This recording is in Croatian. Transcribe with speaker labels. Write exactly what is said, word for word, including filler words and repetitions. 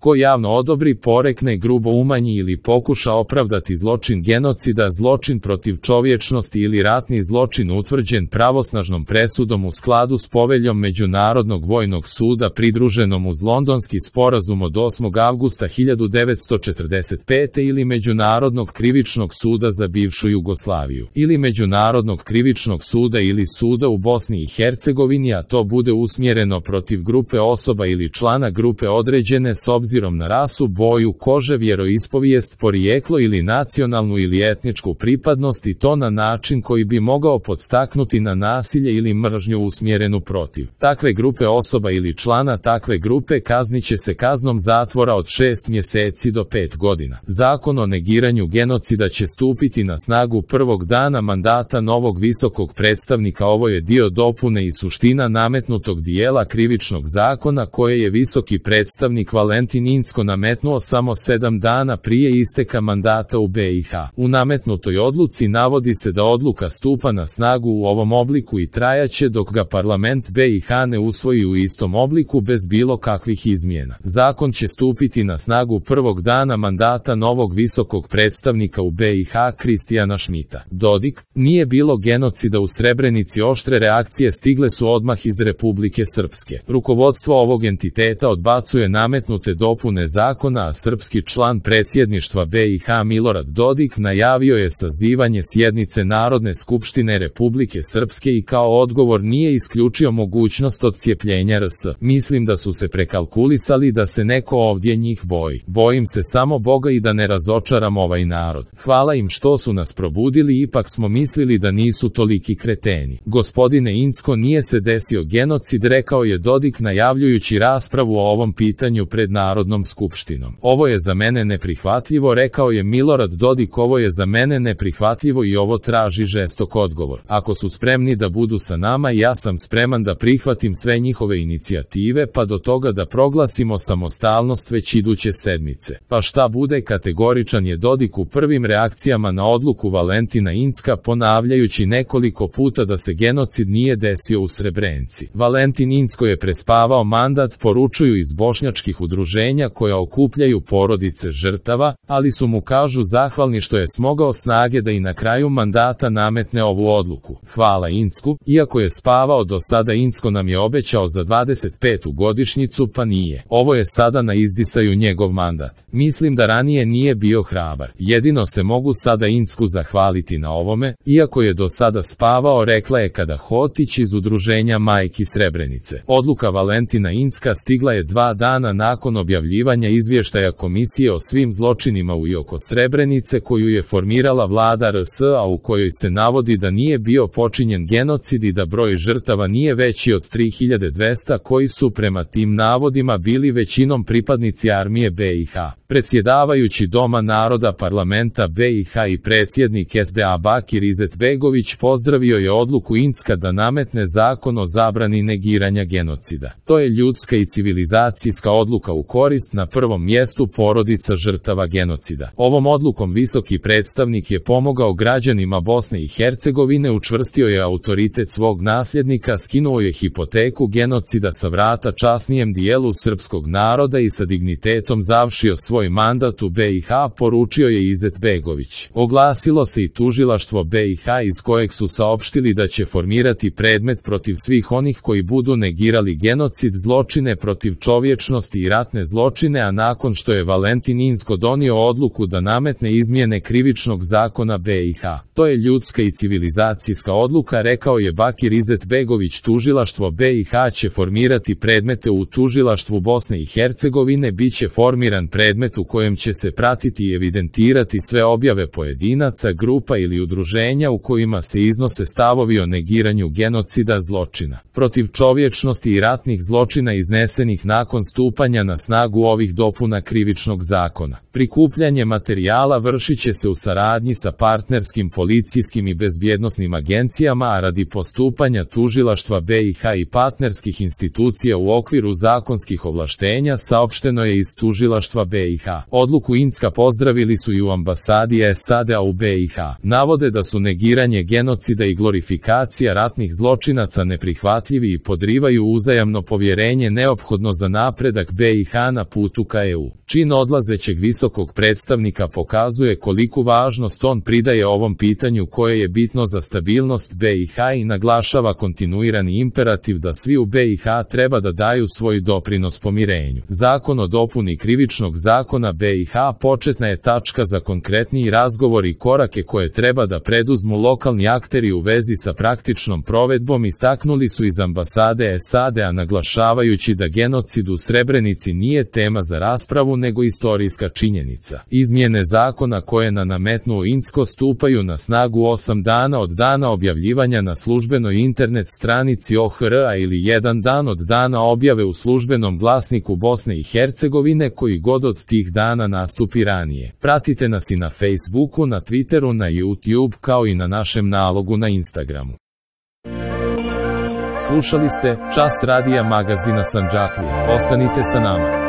Speaker 1: Ko javno odobri, porekne, grubo umanji ili pokuša opravdati zločin genocida, zločin protiv čovječnosti ili ratni zločin utvrđen pravosnažnom presudom u skladu s poveljom Međunarodnog vojnog suda pridruženom uz Londonski sporazum od osmog avgusta hiljadu devetsto četrdeset pete ili Međunarodnog krivičnog suda za bivšu Jugoslaviju, ili Međunarodnog krivičnog suda ili suda u Bosni i Hercegovini, a to bude usmjereno protiv grupe osoba ili člana grupe određene s obzirom na rasu, boju kože, vjeroispovijest, porijeklo ili nacionalnu ili etničku pripadnost, i to na način koji bi mogao podstaknuti na nasilje ili mržnju usmjerenu protiv takve grupe osoba ili člana takve grupe, kaznit će se kaznom zatvora od šest mjeseci do pet godina. Zakon o negiranju genocida će stupiti na snagu prvog dana mandata novog visokog predstavnika. Ovo je dio dopune i suština nametnutog dijela krivičnog zakona koje je visoki predstavnik Valentin Incko nametnuo samo sedam dana prije isteka mandata u B i H. U nametnutoj odluci navodi se da odluka stupa na snagu u ovom obliku i trajaće dok ga parlament B i H ne usvoji u istom obliku bez bilo kakvih izmjena. Zakon će stupiti na snagu prvog dana mandata novog visokog predstavnika u B i H Kristijana Šmita. Dodik, nije bilo genocida u Srebrenici. Oštre reakcije stigle su odmah iz Republike Srpske. Rukovodstvo ovog entiteta odbacuje nametnute dopune zakona, a srpski član predsjedništva B i H Milorad Dodik najavio je sazivanje sjednice Narodne skupštine Republike Srpske i kao odgovor nije isključio mogućnost odcijepljenja R S. Mislim da su se prekalkulisali da se neko ovdje njih boji. Bojim se samo Boga i da ne razočaram ovaj narod. Hvala im što su nas probudili, ipak smo mislili da nisu toliki kreteni. Gospodine Incko, nije se desio genocid, rekao je Dodik najavljujući raspravu o ovom pitanju pred Narodnom skupštinom. Ovo je za mene neprihvatljivo, rekao je Milorad Dodik, ovo je za mene neprihvatljivo i ovo traži žestok odgovor. Ako su spremni da budu sa nama, ja sam spreman da prihvatim sve njihove inicijative pa do toga da proglasimo samostalnost već iduće sedmice. Pa šta bude, kategoričan je Dodik u prvim reakcijama na odluku Valentina Incka, ponavljajući nekoliko puta da se genocid nije desio u Srebrenici. Valentin Incko je prespavao mandat, poručuju iz bošnjačkih udruženja koja okupljaju porodice žrtava, ali su mu, kažu, zahvalni što je smogao snage da i na kraju mandata nametne ovu odluku. Hvala Incku, iako je spavao do sada. Incko nam je obećao za dvadeset petu godišnjicu, pa nije. Ovo je sada na izdisaju njegov mandat. Mislim da ranije nije bio hrabar. Jedino se mogu sada Incku zahvaliti na ovome, iako je do sada spavao, rekla je Kada Hotić iz udruženja Majki Srebrenice. Odluka Valentina Incka stigla je dva dana nakon objavljivanja izvještaja Komisije o svim zločinima u i oko Srebrenice koju je formirala vlada R S, a u kojoj se navodi da nije bio počinjen genocid i da broj žrtava nije veći od tri hiljade dvesta, koji su prema tim navodima bili većinom pripadnici armije B i H. Predsjedavajući Doma naroda parlamenta B i H i predsjednik S D A Bakir Izetbegović pozdravio je odluku Incka da nametne zakon o zabrani negiranja genocida. To je ljudska i civilizacijska odluka u korist na prvom mjestu porodica žrtava genocida. Ovom odlukom visoki predstavnik je pomogao građanima Bosne i Hercegovine, učvrstio je autoritet svog nasljednika, skinuo je hipoteku genocida sa vrata časnijem dijelu srpskog naroda i sa dignitetom završio svoj mandat u B i H, poručio je Izetbegović. Oglasilo se i tužilaštvo B i H iz kojeg su saopštili da će formirati predmet protiv svih onih koji budu negirali genocid, zločine protiv čovječnosti i ratne zločine, a nakon što je Valentin Incko donio odluku da nametne izmjene krivičnog zakona B i H. To je ljudska i civilizacijska odluka, rekao je Bakir Izetbegović. Tužilaštvo B i H će formirati predmete u tužilaštvu Bosne i Hercegovine, bit će formiran predmet u kojem će se pratiti i evidentirati sve objave pojedinaca, grupa ili udruženja u kojima se iznose stavovi o negiranju genocida, zločina protiv čovječnosti i ratnih zločina iznesenih nakon stupanja na snagu ovih dopuna krivičnog zakona. Prikupljanje materijala vršit će se u saradnji sa partnerskim policijskim i bezbjednosnim agencijama, a radi postupanja tužilaštva B i H i partnerskih institucija u okviru zakonskih ovlaštenja, saopšteno je iz tužilaštva B i H. Odluku Incka pozdravili su i u ambasadi S A D-a u B i H. Navode da su negiranje genocida i glorifikacija ratnih zločinaca neprihvatljivi i podrivaju uzajamno povjerenje neophodno za napredak B i H na putu ka E U. Čin odlazećeg visokog predstavnika pokazuje koliku važnost on pridaje ovom pitanju koje je bitno za stabilnost B i H i naglašava kontinuirani imperativ da svi u B i H treba da daju svoj doprinos pomirenju. Zakon o dopuni Krivičnog zakona B i H početna je tačka za konkretniji razgovor i korake koje treba da preduzmu lokalni akteri u vezi sa praktičnom provedbom, istaknuli su iz ambasade S A D-a, naglašavajući da genocid u Srebrenici nije tema za raspravu nego istorijska činjenica. Izmjene zakona koje na nametnuo Incko stupaju na snagu osam dana od dana objavljivanja na službenoj internet stranici O H R-a ili jedan dan od dana objave u službenom glasniku Bosne i Hercegovine koji god od tih dana nastupi ranije. Pratite nas i na Facebooku, na Twitteru, na YouTube kao i na našem nalogu na Instagramu. Slušali ste Čas radija magazina Sandžaklija. Ostanite sa nama.